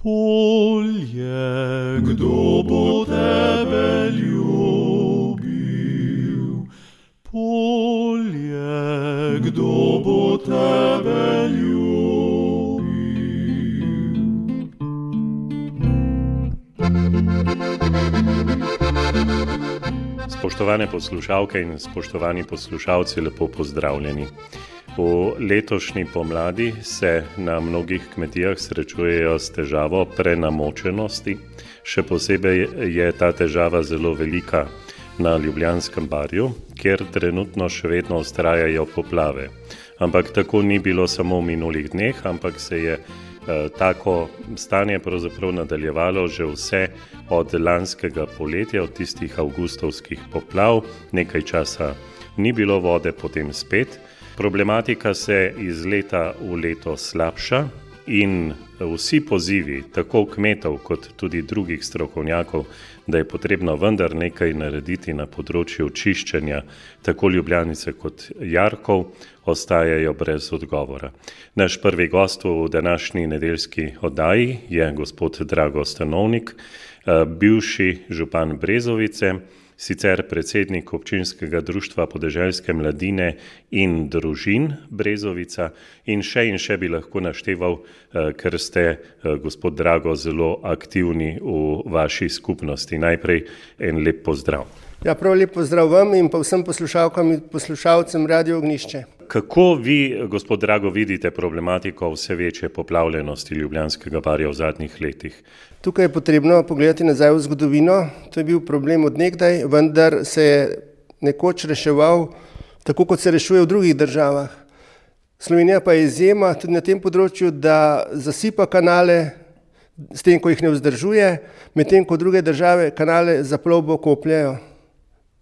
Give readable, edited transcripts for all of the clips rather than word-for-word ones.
Polje, kdo bo tebe ljubil? Polje, kdo bo tebe ljubil? Spoštovane poslušalke in spoštovani poslušalci, lepo pozdravljeni. V letošnji pomladi se na mnogih kmetijah srečujejo s težavo prenamočenosti. Še posebej je ta težava zelo velika na Ljubljanskem barju, kjer trenutno še vedno vztrajajo poplave. Ampak tako ni bilo samo v minulih dneh, ampak se je tako stanje pravzaprav nadaljevalo že vse od lanskega poletja, od tistih avgustovskih poplav. Nekaj časa ni bilo vode, potem spet. Problematika se iz leta v leto slabša in vsi pozivi, tako kmetov kot tudi drugih strokovnjakov, da je potrebno vendar nekaj narediti na področju čiščenja tako Ljubljanice kot jarkov, ostajajo brez odgovora. Naš prvi gost v današnji nedeljski oddaji je gospod Drago Stanovnik, bivši župan Brezovice, sicer predsednik občinskega društva podeželske mladine in družin Brezovica in še bi lahko našteval, ker ste, gospod Drago, zelo aktivni v vaši skupnosti. Najprej en lep pozdrav. Ja, prav lep pozdrav vam in pa vsem poslušalkam in poslušalcem Radio Ognjišče. Kako vi, gospod Drago, vidite problematiko vse večje poplavljenosti Ljubljanskega barja v zadnjih letih? Tukaj je potrebno pogledati nazaj v zgodovino. To je bil problem od nekdaj, vendar se je nekoč reševal tako, kot se rešuje v drugih državah. Slovenija pa je izjema tudi na tem področju, da zasipa kanale s tem, ko jih ne vzdržuje, medtem ko druge države kanale za plovbo kopljejo.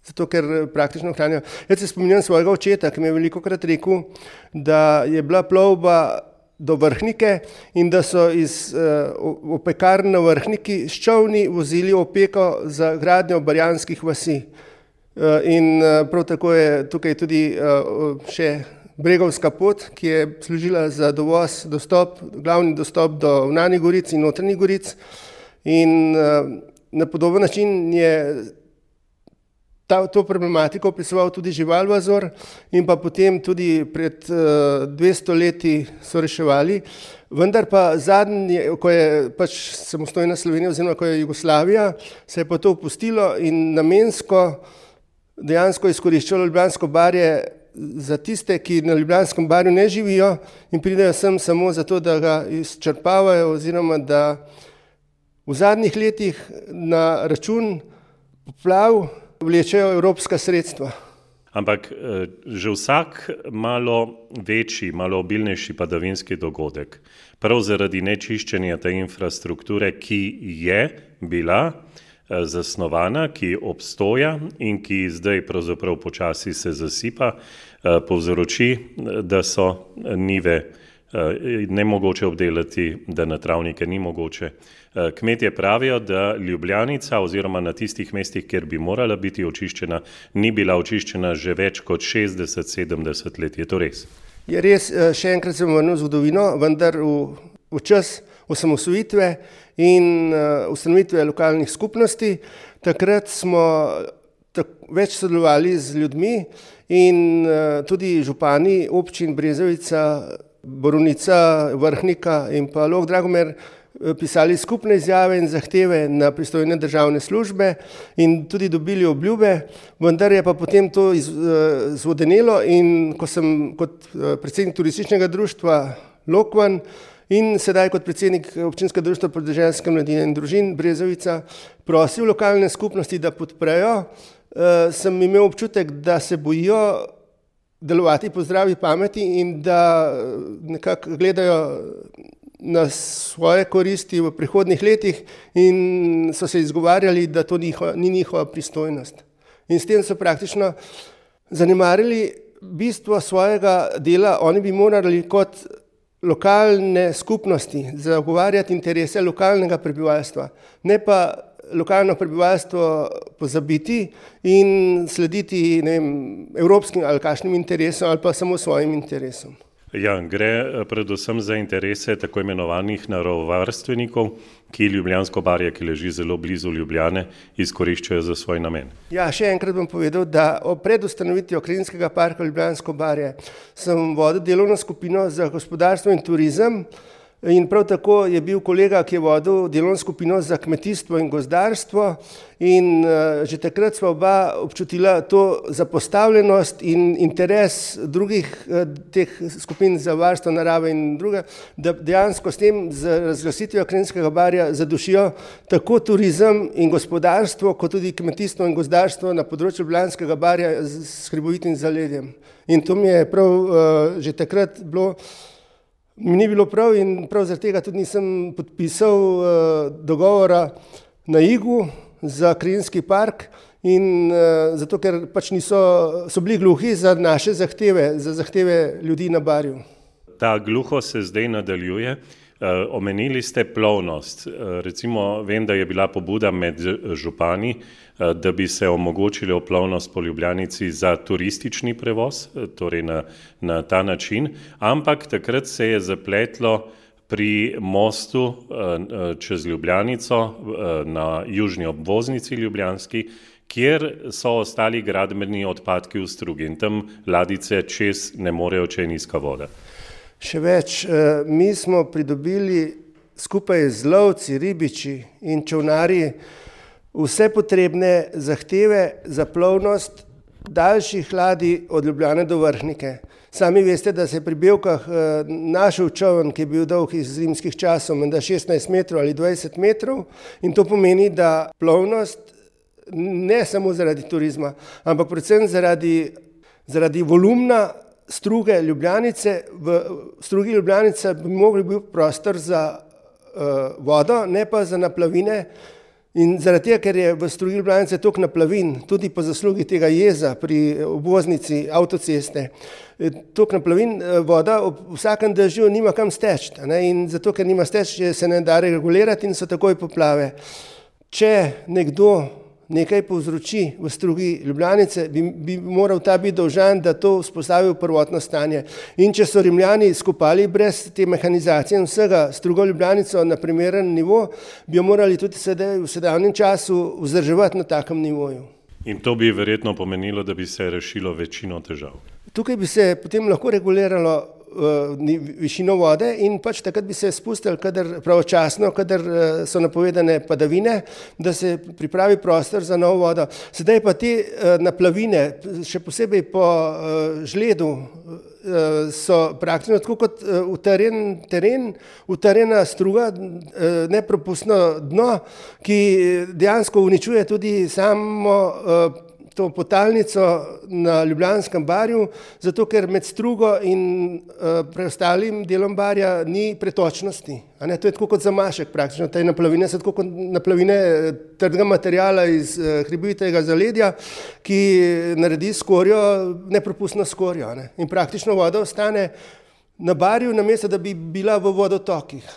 Zato, ker praktično hranijo. Jaz se spominjam svojega očeta, ki mi je velikokrat rekel, da je bila plovba do Vrhnike in da so iz opekarn na Vrhniki s čolni vozili opeko za gradnjo barjanskih vasi. In prav tako je tukaj tudi še Bregovska pot, ki je služila za dovoz, glavni dostop do Vnanih goric in Notranjih goric. In na podoben način je to problematiko opisoval tudi Žival Vazor in pa potem tudi pred 200 leti so reševali. Vendar pa zadnje, ko je pač samostojna Slovenija oziroma ko je Jugoslavija, se je pa to opustilo in namensko dejansko izkoriščalo Ljubljansko barje za tiste, ki na Ljubljanskem barju ne živijo in pridejo sem samo zato, da ga izčrpavajo oziroma da v zadnjih letih na račun poplav vlečejo evropska sredstva. Ampak že vsak malo večji, malo obilnejši padavinski dogodek, prav zaradi nečiščenja te infrastrukture, ki je bila zasnovana, ki obstoja in ki zdaj pravzaprav počasi se zasipa, povzroči, da so njive nemogoče obdelati, da na travnike ni mogoče. Kmetje pravijo, da Ljubljanica oziroma na tistih mestih, kjer bi morala biti očiščena, ni bila očiščena že več kot 60-70 let. Je to res? Je res, še enkrat sem vrnil zgodovino, vendar v čas osamosvojitve in ustanovitve lokalnih skupnosti. Takrat smo več sodelovali z ljudmi in tudi župani občin Brezovica, Borovnica, Vrhnika in pa Log Dragomer pisali skupne izjave in zahteve na pristojne državne službe in tudi dobili obljube, vendar je pa potem to zvodenelo in ko sem kot predsednik turističnega društva Lokvan in sedaj kot predsednik občinskega društva podeželske mladine in družin Brezovica prosil lokalne skupnosti, da podprejo, sem imel občutek, da se bojijo delovati po zdravi pameti in da nekako gledajo na svoje koristi v prihodnjih letih in so se izgovarjali, da to ni njihova pristojnost. In s tem so praktično zanemarili bistvo svojega dela. Oni bi morali kot lokalne skupnosti zagovarjati interese lokalnega prebivalstva, ne pa lokalno prebivalstvo pozabiti in slediti evropskim ali kakšnim interesom ali pa samo svojim interesom. Ja, gre predvsem za interese tako imenovanih naravovarstvenikov, ki Ljubljansko barje, ki leži zelo blizu Ljubljane, izkoriščajo za svoj namen. Ja, še enkrat bom povedal, da pred ustanovitvijo Krajinskega parka Ljubljansko barje sem vodil delovno skupino za gospodarstvo in turizem. In prav tako je bil kolega, ki je vodil delovno skupino za kmetijstvo in gozdarstvo, in že takrat sva oba občutila to zapostavljenost in interes drugih teh skupin za varstvo narave in druge, da dejansko s tem z razglasitvijo Krajinskega barja zadušijo tako turizem in gospodarstvo, kot tudi kmetijstvo in gozdarstvo na področju Ljubljanskega barja s hribovitim zaledjem. In to mi je prav že takrat bilo. Mi ni bilo prav in prav zaradi tega tudi nisem podpisal dogovora na Igu za Krajinski park in zato, ker pač so bili gluhi za naše zahteve, za zahteve ljudi na Barju. Ta gluho se zdaj nadaljuje. Omenili ste plovnost. Recimo, vem, da je bila pobuda med župani, da bi se omogočilo plovnost po Ljubljanici za turistični prevoz, torej na ta način, ampak takrat se je zapletlo pri mostu čez Ljubljanico na južni obvoznici ljubljanski, kjer so ostali gradbeni odpadki v strugi in tam ladjice čez ne morejo, če je nizka voda. Še več, mi smo pridobili skupaj z lovci, ribiči in čolnarji vse potrebne zahteve za plovnost daljših ladij od Ljubljane do Vrhnike. Sami veste, da se je pri Bevkah našel čoln, ki je bil dolg iz rimskih časov, menda 16 metrov ali 20 metrov, in to pomeni, da plovnost ne samo zaradi turizma, ampak predvsem zaradi volumna struge Ljubljanice. V strugi Ljubljanice bi mogli biti prostor za vodo, ne pa za naplavine. In zaradi tega, ker je v strugi Ljubljanice toliko naplavin, tudi po zaslugi tega jeza pri obvoznici avtoceste, toliko naplavin, voda ob vsakem dežju nima kam steči. In zato, ker nima steči, se ne da regulirati in so takoj poplave. Če nekdo nekaj povzroči v strugi Ljubljanice, bi moral ta biti dolžan, da to vzpostavi v prvotno stanje. In če so Rimljani skopali brez te mehanizacije in vsega strugo Ljubljanico na primeren nivo, bi jo morali tudi sedaj v sedanjem času vzdrževati na takem nivoju. In to bi verjetno pomenilo, da bi se rešilo večino težav. Tukaj bi se potem lahko reguliralo višino vode in pač takrat bi se spustili pravočasno, kadar so napovedane padavine, da se pripravi prostor za novo vodo. Sedaj pa te naplavine, še posebej po žledu, so praktično tako kot utrjen teren, utrjena struga, nepropustno dno, ki dejansko uničuje tudi samo to potalnico na Ljubljanskem barju, zato ker med strugo in preostalim delom barja ni pretočnosti. To je tako kot zamašek praktično. Te naplavine so tako kot naplavine trdega materijala iz hribovitega zaledja, ki naredi skorjo, nepropustno skorjo. In praktično voda ostane na barju, namesto da bi bila v vodotokih.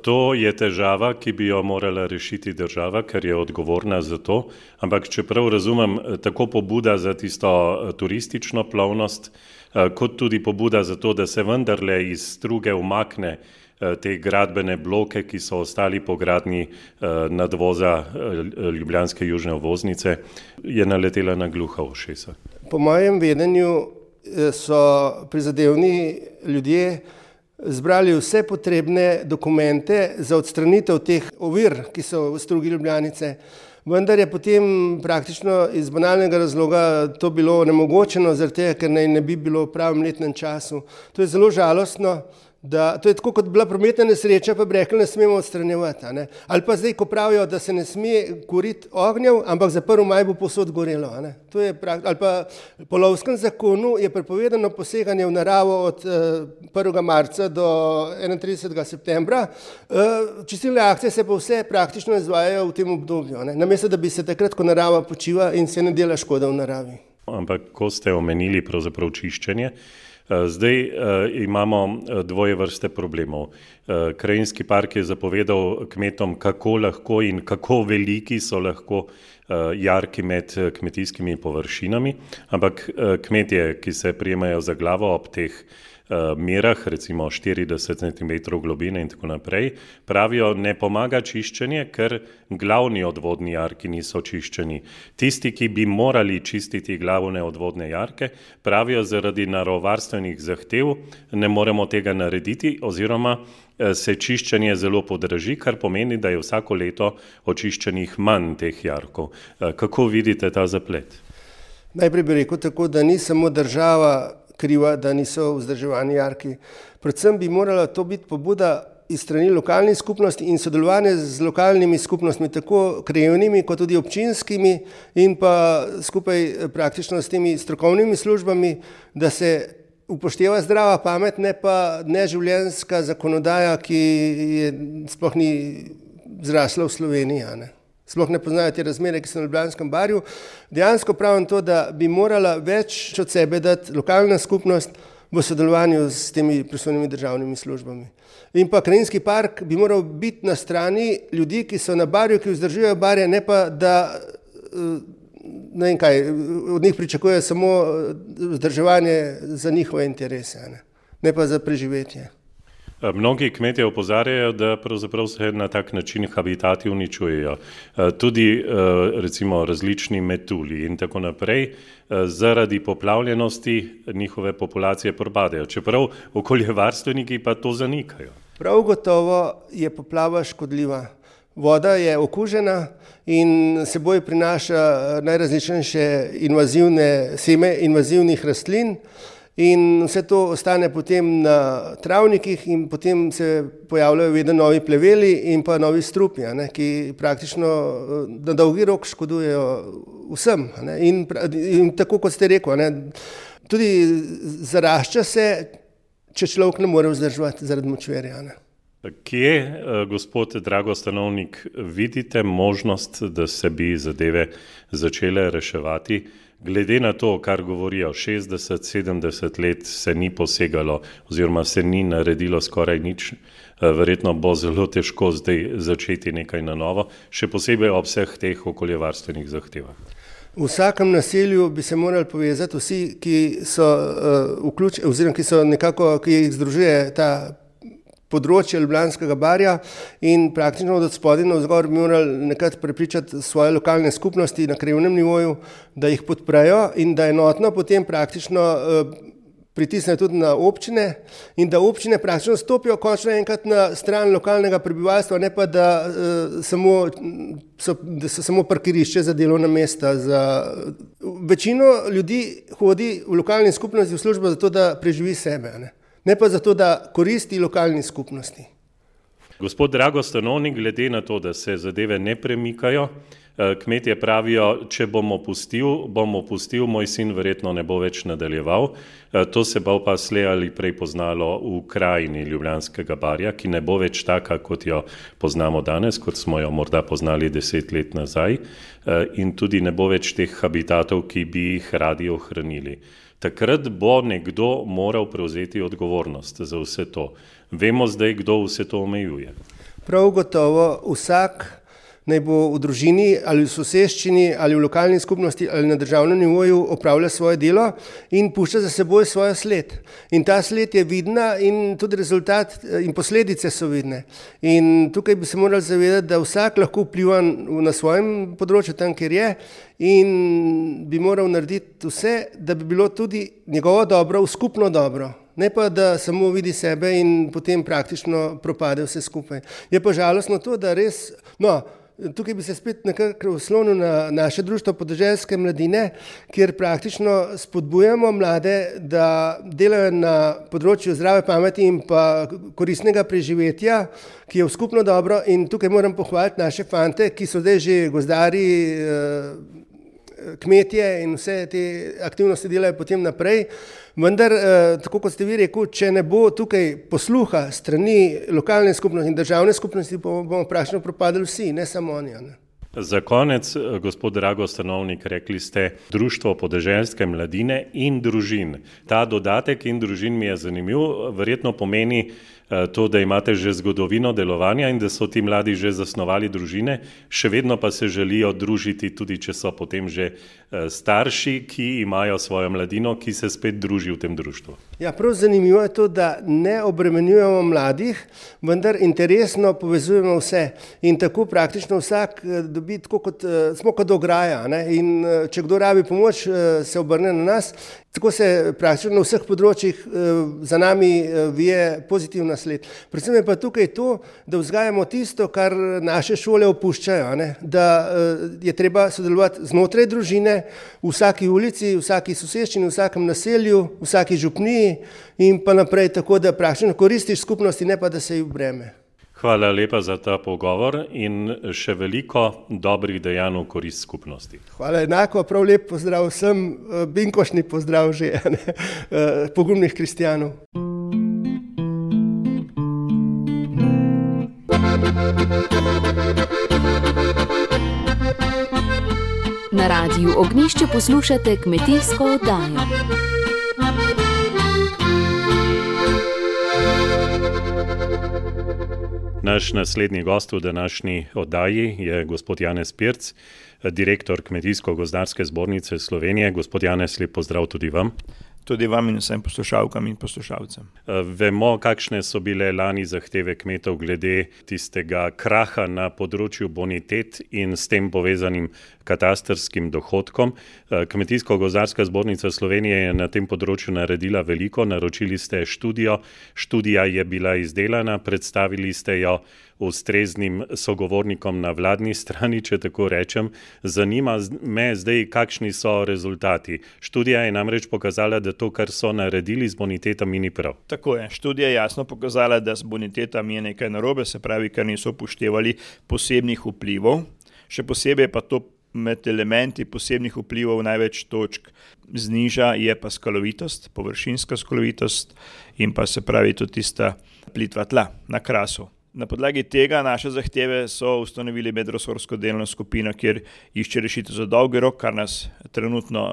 To je težava, ki bi jo morala rešiti država, ker je odgovorna za to, ampak čeprav razumem, tako pobuda za tisto turistično plovnost, kot tudi pobuda za to, da se vendarle iz struge umakne te gradbene bloke, ki so ostali po gradnji nadvoza Ljubljanske južne obvoznice, je naletela na gluha ušesa. Po mojem vedenju so prizadevni ljudje zbrali vse potrebne dokumente za odstranitev teh ovir, ki so v strugi Ljubljanice. Vendar je potem praktično iz banalnega razloga to bilo onemogočeno, zaradi tega, ker naj ne bi bilo v pravem letnem času. To je zelo žalostno, to je tako kot bila prometna nesreča, pa bi rekli, ne smemo odstranjevati. Ali pa zdaj, ko pravijo, da se ne sme kuriti ognjev, ampak za 1. maj bo povsod gorelo. To je ali pa po lovskem zakonu je prepovedano poseganje v naravo od 1. marca do 31. septembra. Čistilne akcije se pa vse praktično izvajajo v tem obdobju. Namesto, da bi se takrat, ko narava počiva in se ne dela škoda v naravi. Ampak ko ste omenili pravzaprav čiščenje, zdaj imamo dvoje vrste problemov. Krajinski park je zapovedal kmetom, kako lahko in kako veliki so lahko jarki med kmetijskimi površinami, ampak kmetje, ki se prijemajo za glavo ob teh merah, recimo 40 cm globine in tako naprej, pravijo, ne pomaga čiščenje, ker glavni odvodni jarki niso čiščeni. Tisti, ki bi morali čistiti glavne odvodne jarke, pravijo, zaradi naravovarstvenih zahtev ne moremo tega narediti oziroma se čiščenje zelo podraži, kar pomeni, da je vsako leto očiščenih manj teh jarkov. Kako vidite ta zaplet? Najprej bi rekel tako, da ni samo država kriva, da niso vzdrževani jarki. Predvsem bi morala to biti pobuda iz strani lokalnih skupnosti in sodelovanje z lokalnimi skupnostmi, tako krajevnimi kot tudi občinskimi in pa skupaj praktično s temi strokovnimi službami, da se upošteva zdrava pamet, ne pa neživljenjska zakonodaja, ki je sploh ni zrasla v Sloveniji. Sploh ne poznajo te razmere, ki so na Ljubljanskem barju. Dejansko pravim to, da bi morala več od sebe dati lokalna skupnost v sodelovanju s temi pristojnimi državnimi službami. In pa krajinski park bi moral biti na strani ljudi, ki so na barju, ki vzdržujejo barje, ne pa da ne vem kaj, od njih pričakujejo samo vzdrževanje za njihove interese, ne pa za preživetje. Mnogi kmetje opozarjajo, da pravzaprav se na tak način habitati uničujejo. Tudi recimo različni metulji in tako naprej, zaradi poplavljenosti njihove populacije propadajo, čeprav okoljevarstveniki pa to zanikajo. Prav gotovo je poplava škodljiva. Voda je okužena in seboj prinaša najrazličnejše seme invazivnih rastlin in vse to ostane potem na travnikih in potem se pojavljajo vedno novi pleveli in pa novi strupi, ki praktično na dolgi rok škodujejo vsem. In tako kot ste rekel, tudi zarašča se, če človek ne more vzdrževati zaradi močvirja. Kje, gospod Drago Stanovnik, vidite možnost, da se bi zadeve začele reševati? Glede na to, kar govorijo, 60-70 let se ni posegalo oziroma se ni naredilo skoraj nič, verjetno bo zelo težko zdaj začeti nekaj na novo, še posebej ob vseh teh okoljevarstvenih zahtevah. V vsakem naselju bi se morali povezati vsi, ki so vključeni oziroma ki jih združuje ta področje Ljubljanskega barja in praktično od spodaj navzgor bi morali nekako prepričati svoje lokalne skupnosti na krajevnem nivoju, da jih podprejo in da enotno potem praktično pritisnejo tudi na občine in da občine praktično stopijo končno enkrat na stran lokalnega prebivalstva, ne pa da so samo parkirišče za delovna mesta. Večino ljudi hodi v lokalni skupnosti v službo zato, da preživi sebe, ne pa zato, da koristi lokalni skupnosti. Gospod Drago Stanovnik, glede na to, da se zadeve ne premikajo, kmetje pravijo, če bom opustil, moj sin verjetno ne bo več nadaljeval. To se bo pa slej ali prej poznalo v krajini Ljubljanskega barja, ki ne bo več taka, kot jo poznamo danes, kot smo jo morda poznali 10 let nazaj, in tudi ne bo več teh habitatov, ki bi jih radi ohranili. Takrat bo nekdo moral prevzeti odgovornost za vse to. Vemo zdaj, kdo vse to omejuje. Prav gotovo vsak, naj bo v družini ali v soseščini ali v lokalni skupnosti ali na državnem nivoju opravlja svoje delo in pušča za seboj svojo sled. In ta sled je vidna in tudi rezultat in posledice so vidne. In tukaj bi se morali zavedati, da vsak lahko vpliva na svojem področju tam, kjer je, in bi moral narediti vse, da bi bilo tudi njegovo dobro v skupno dobro. Ne pa, da samo vidi sebe in potem praktično propade vse skupaj. Je pa žalostno to, da res, tukaj bi se spet nekako oslonil na naše društvo podeželske mladine, kjer praktično spodbujamo mlade, da delajo na področju zdrave pameti in pa koristnega preživetja, ki je v skupno dobro, in tukaj moram pohvaliti naše fante, ki so zdaj že gozdarji, kmetje in vse te aktivnosti delajo potem naprej. Vendar, tako kot ste vi rekel, če ne bo tukaj posluha strani lokalne skupnosti in državne skupnosti, bomo praktično propadali vsi, ne samo oni. Za konec, gospod Drago Stanovnik, rekli ste Društvo podeželske mladine in družin. Ta dodatek in družin mi je zanimiv, verjetno pomeni to, da imate že zgodovino delovanja in da so ti mladi že zasnovali družine, še vedno pa se želijo družiti, tudi če so potem že starši, ki imajo svojo mladino, ki se spet druži v tem društvu. Ja, prav zanimivo je to, da ne obremenjujemo mladih, vendar interesno povezujemo vse in tako praktično vsak dobi tako kot smo kot ograja, ne? In če kdo rabi pomoč, se obrne na nas. Tako se praktično na vseh področjih za nami vije pozitivna sled. Predvsem je pa tukaj to, da vzgajamo tisto, kar naše šole opuščajo, ne? Da je treba sodelovati znotraj družine, v vsaki ulici, v vsaki soseščini, v vsakem naselju, v vsaki župniji in pa naprej, tako da praktično koristiš skupnosti, ne pa da se ji v breme. Hvala lepa za ta pogovor in še veliko dobrih dejanj v korist skupnosti. Hvala enako, prav lep pozdrav vsem, binkošni pozdrav že, pogumnih kristjanov. Na Radiu Ognjišče poslušate kmetijsko oddajo. Naš naslednji gost v današnji oddaji je gospod Janez Pirc, direktor Kmetijsko-gozdarske zbornice Slovenije. Gospod Janez, lep pozdrav tudi vam. Tudi vam in vsem poslušalkam in poslušalcem. Vemo, kakšne so bile lani zahteve kmetov glede tistega kraha na področju bonitet in s tem povezanim katastrskim dohodkom. Kmetijsko-gozdarska zbornica Slovenije je na tem področju naredila veliko, naročili ste študijo, študija je bila izdelana, predstavili ste jo ustreznim sogovornikom na vladni strani, če tako rečem. Zanima me zdaj, kakšni so rezultati. Študija je namreč pokazala, da to, kar so naredili z bonitetami, ni prav. Tako je. Študija je jasno pokazala, da s bonitetami je nekaj narobe, se pravi, ker niso upoštevali posebnih vplivov. Še posebej pa to med elementi posebnih vplivov največ točk zniža je pa skalovitost, površinska skalovitost in pa se pravi tudi tista plitva tla na krasu. Na podlagi tega naše zahteve so ustanovili medresorsko delovno skupino, kjer išče rešitev za dolgi rok, kar nas trenutno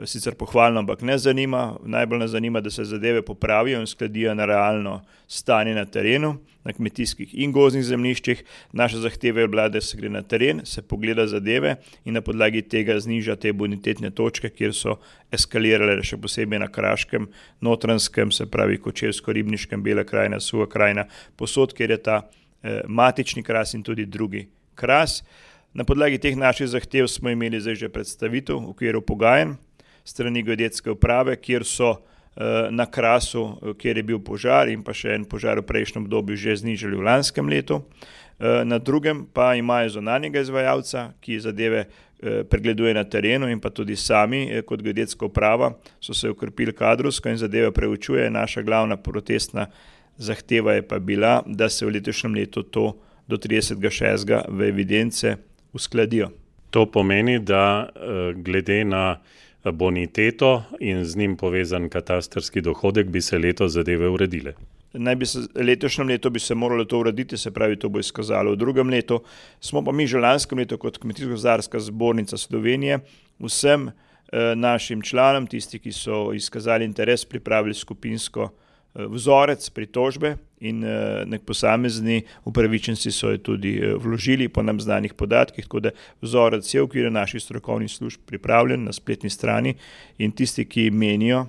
sicer pohvalno, ampak ne zanima. Najbolj nas zanima, da se zadeve popravijo in skladijo na realno stanje na terenu, na kmetijskih in gozdnih zemljiščih. Naša zahteva je bila, da se gre na teren, se pogleda zadeve in na podlagi tega zniža te bonitetne točke, kjer so eskalirale še posebej na Kraškem, Notranjskem, se pravi Kočevsko-Ribniškem, Bela krajina, Suha krajina, posod, kjer je ta matični kras in tudi drugi kras. Na podlagi teh naših zahtev smo imeli zdaj že predstavitev v okviru pogajanj strani geodetske uprave, kjer so na krasu, kjer je bil požar in pa še en požar v prejšnjem obdobju že znižali v lanskem letu. Na drugem pa imajo zunanjega izvajalca, ki zadeve pregleduje na terenu in pa tudi sami kot geodetska uprava so se okrepili kadrovsko in zadeve preučuje. Naša glavna protestna zahteva je pa bila, da se v letošnjem letu to do 30.6. v evidence uskladijo. To pomeni, da glede na boniteto in z njim povezan katastrski dohodek bi se letos zadeve uredile. Letošnjem letu bi se moralo to urediti, se pravi, to bo izkazalo v drugem letu. Smo pa mi že lanskem letu kot Kmetijsko-gozdarska zbornica Slovenije vsem našim članom, tisti, ki so izkazali interes, pripravili skupinsko vzorec pritožbe in nek posamezni upravičenci so jo tudi vložili po nam znanih podatkih, tako da vzorec je v okviru naših strokovnih služb pripravljen na spletni strani in tisti, ki menijo,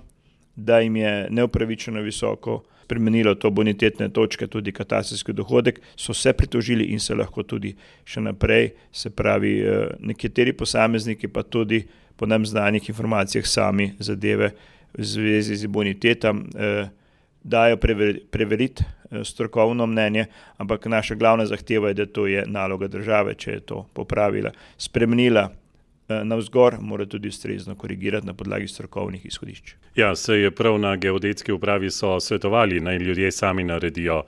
da jim je neupravičeno visoko spremenilo to bonitetne točke, tudi katastrski dohodek, so se pritožili in se lahko tudi še naprej, se pravi, nekateri posamezniki pa tudi po nam znanih informacijah sami zadeve v zvezi z bonitetam dajo preveriti strokovno mnenje, ampak naša glavna zahteva je, da to je naloga države, če je to popravila, spremenila navzgor, mora tudi ustrezno korigirati na podlagi strokovnih izhodišč. Ja, se je prav na geodetski upravi so svetovali, naj ljudje sami naredijo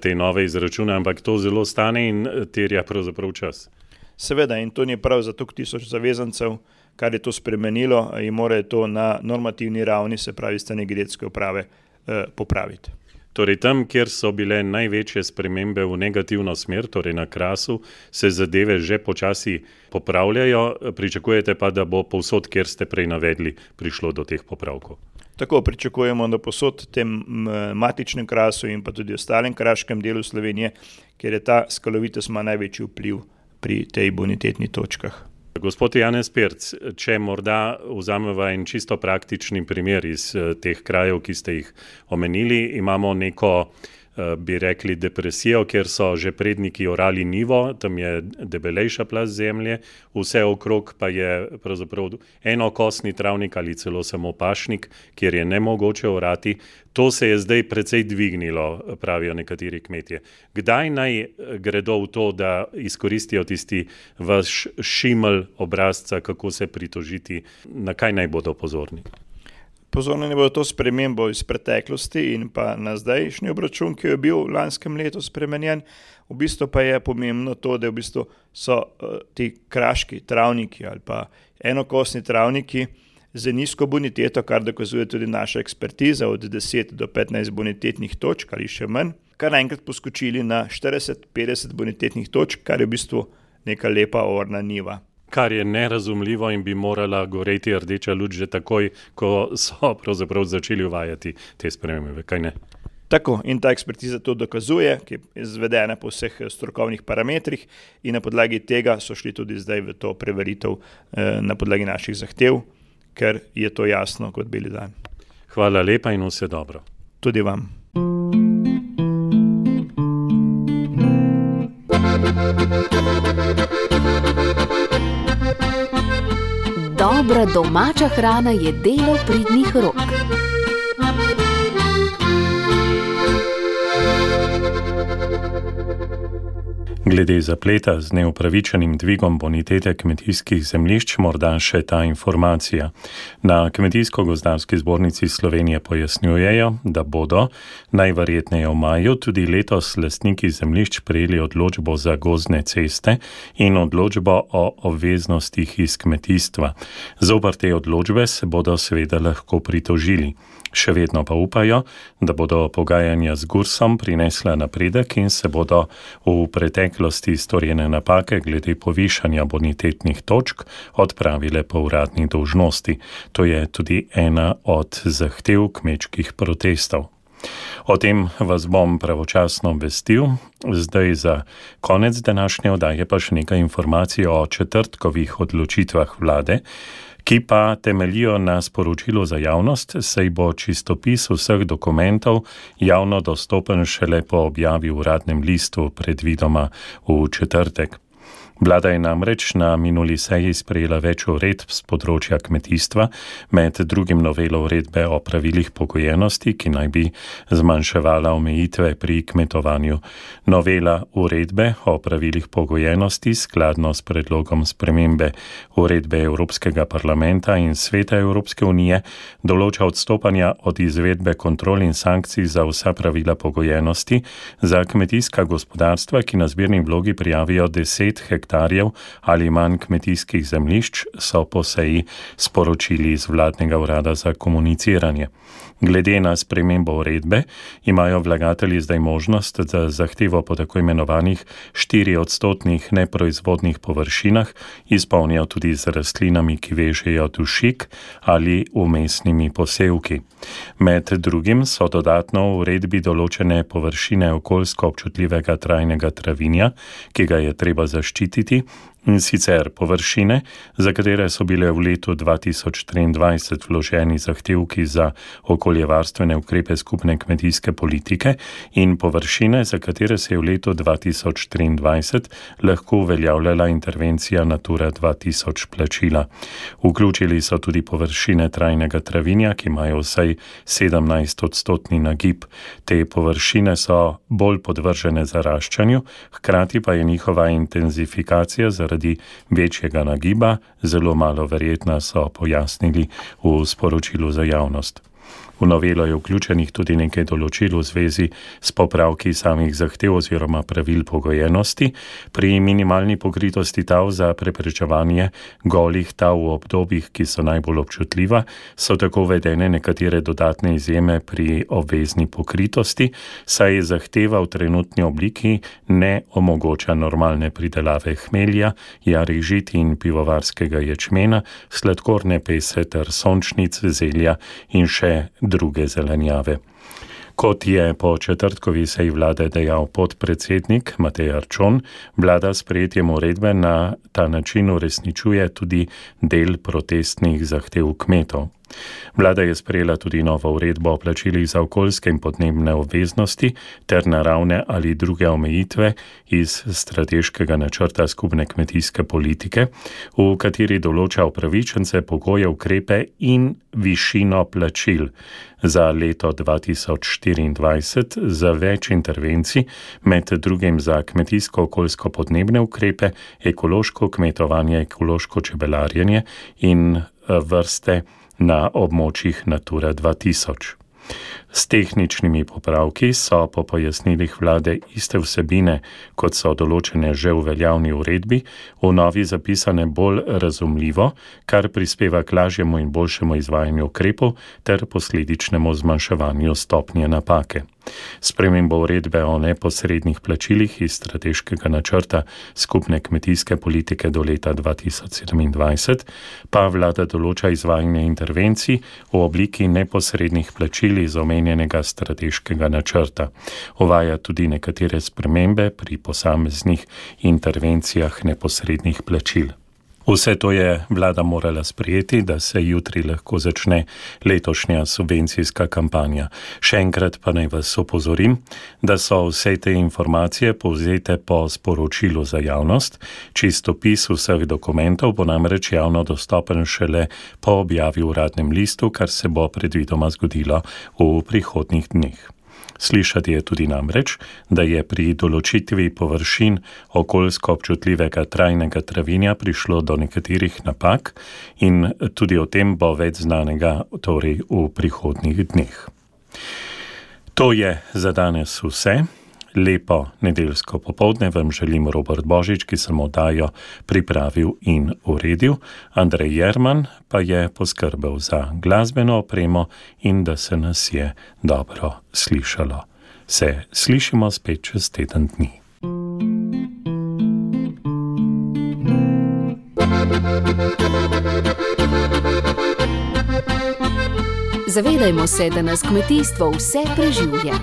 te nove izračune, ampak to zelo stane in terja pravzaprav čas. Seveda, in to ni prav za toliko tisoč zavezancev, kar je to spremenilo in mora to na normativni ravni, se pravi strani geodetske uprave, popraviti. Torej tam, kjer so bile največje spremembe v negativno smer, torej na krasu, se zadeve že počasi popravljajo, pričakujete pa, da bo povsod, kjer ste prej navedli, prišlo do teh popravkov? Tako pričakujemo, da povsod tem matičnem krasu in pa tudi ostalem kraškem delu Slovenije, kjer je ta skalovitost ima največji vpliv pri tej bonitetnih točkah. Gospod Janez Pirc, če morda vzameva en čisto praktični primer iz teh krajev, ki ste jih omenili, imamo neko, bi rekli, depresijo, kjer so že predniki orali nivo, tam je debelejša plast zemlje, vse okrog pa je pravzaprav enokosni travnik ali celo samo pašnik, kjer je nemogoče orati. To se je zdaj precej dvignilo, pravijo nekateri kmetje. Kdaj naj gredo v to, da izkoristijo tisti vaš šimelj obrazca, kako se pritožiti, na kaj naj bodo pozorni? Pozorni bodo to spremembo iz preteklosti in pa na zdajšnji obračun, ki je bil v lanskem letu spremenjen. V bistvu pa je pomembno to, da v bistvu so ti kraški travniki ali pa enokosni travniki z nizko boniteto, kar dokazuje tudi naša ekspertiza, od 10 do 15 bonitetnih točk ali še manj, kar naenkrat poskočili na 40-50 bonitetnih točk, kar je v bistvu neka lepa orna niva. Kar je nerazumljivo in bi morala goreti rdeča luč že takoj, ko so pravzaprav začeli uvajati te spremembe, kaj ne? Tako, in ta ekspertiza to dokazuje, ki je izvedena po vseh strokovnih parametrih in na podlagi tega so šli tudi zdaj v to preveritev na podlagi naših zahtev, ker je to jasno kot beli dan. Hvala lepa in vse dobro. Tudi vam. Dobra domača hrana je delo pridnih rok. Glede zapleta z neupravičenim dvigom bonitete kmetijskih zemljišč morda še ta informacija. Na Kmetijsko-gozdarski zbornici Slovenije pojasnjujejo, da bodo najverjetneje v maju tudi letos lastniki zemljišč prejeli odločbo za gozdne ceste in odločbo o obveznostih iz kmetijstva. Zoper te odločbe se bodo seveda lahko pritožili. Še vedno pa upajo, da bodo pogajanja z Gursom prinesla napredek in se bodo v preteklosti storjene napake glede povišanja bonitetnih točk odpravile po uradni dolžnosti. To je tudi ena od zahtev kmečkih protestov. O tem vas bom pravočasno obvestil. Zdaj za konec današnje oddaje pa še nekaj informacij o četrtkovih odločitvah vlade, ki pa temeljijo na sporočilu za javnost, saj bo čistopis vseh dokumentov javno dostopen šele po objavi v uradnem listu, predvidoma v četrtek. Vlada je namreč na minuli seji sprejela več uredb z področja kmetijstva, med drugim novelo uredbe o pravilih pogojenosti, ki naj bi zmanjševala omejitve pri kmetovanju. Novela uredbe o pravilih pogojenosti skladno s predlogom spremembe uredbe Evropskega parlamenta in Sveta Evropske unije določa odstopanja od izvedbe kontrol in sankcij za vsa pravila pogojenosti za kmetijska gospodarstva, ki na zbirni vlogi prijavijo 10 hektarjev ali manj kmetijskih zemljišč, so po seji sporočili iz vladnega urada za komuniciranje. Glede na spremembo uredbe imajo vlagatelji zdaj možnost, da zahtevo po tako imenovanih 4% neproizvodnih površinah izpolnijo tudi z rastlinami, ki vežejo dušik ali vmesnimi posevki. Med drugim so dodatno v uredbi določene površine okoljsko občutljivega trajnega travinja, ki ga je treba zaščititi, in sicer površine, za katere so bile v letu 2023 vloženi zahtevki za okoljevarstvene ukrepe skupne kmetijske politike in površine, za katere se je v letu 2023 lahko uveljavljala intervencija Natura 2000 plačila. Vključili so tudi površine trajnega travinja, ki imajo vsaj 17% nagib. Te površine so bolj podvržene zaraščanju, hkrati pa je njihova intenzifikacija zaradi večjega nagiba zelo malo verjetna, so pojasnili v sporočilu za javnost. V novelo je vključenih tudi nekaj določil v zvezi s popravki samih zahtev oziroma pravil pogojenosti. Pri minimalni pokritosti tav za preprečevanje golih tav v obdobjih, ki so najbolj občutljiva, so tako uvedene nekatere dodatne izjeme pri obvezni pokritosti, saj zahteva v trenutni obliki ne omogoča normalne pridelave hmelja, jarih žit in pivovarskega ječmena, sladkorne pese ter sončnic, zelja in še druge zelenjave. Kot je po četrtkovi seji vlade dejal podpredsednik Matej Arčon, vlada s sprejetjem uredbe na ta način uresničuje tudi del protestnih zahtev kmetov. Vlada je sprejela tudi novo uredbo o plačilih za okoljske in podnebne obveznosti ter naravne ali druge omejitve iz strateškega načrta skupne kmetijske politike, v kateri določa upravičence, pogoje, ukrepe in višino plačil za leto 2024 za več intervencij, med drugim za kmetijsko-okoljsko podnebne ukrepe, ekološko kmetovanje, ekološko čebelarjenje in vrste na območjih Natura 2000. S tehničnimi popravki so po pojasnilih vlade iste vsebine, kot so določene že v veljavni uredbi, v novi zapisane bolj razumljivo, kar prispeva k lažjemu in boljšemu izvajanju ukrepov ter posledičnemu zmanjševanju stopnje napake. Spremembo uredbe o neposrednih plačilih iz strateškega načrta skupne kmetijske politike do leta 2027 pa vlada določa izvajanje intervencij v obliki neposrednih plačil iz omenjenega strateškega načrta. Uvaja tudi nekatere spremembe pri posameznih intervencijah neposrednih plačil. Vse to je vlada morala sprejeti, da se jutri lahko začne letošnja subvencijska kampanja. Še enkrat pa naj vas opozorim, da so vse te informacije povzete po sporočilu za javnost. Čistopis vseh dokumentov bo namreč javno dostopen šele po objavi v uradnem listu, kar se bo predvidoma zgodilo v prihodnjih dneh. Slišati je tudi namreč, da je pri določitvi površin okoljsko občutljivega trajnega travinja prišlo do nekaterih napak in tudi o tem bo več znanega torej v prihodnjih dneh. To je za danes vse. Lepo nedeljsko popoldne vam želim Robert Božič, ki sem oddajo pripravil in uredil. Andrej Jerman pa je poskrbel za glasbeno opremo in da se nas je dobro slišalo. Se slišimo spet čez teden dni. Zavedajmo se, da nas kmetijstvo vse preživlja.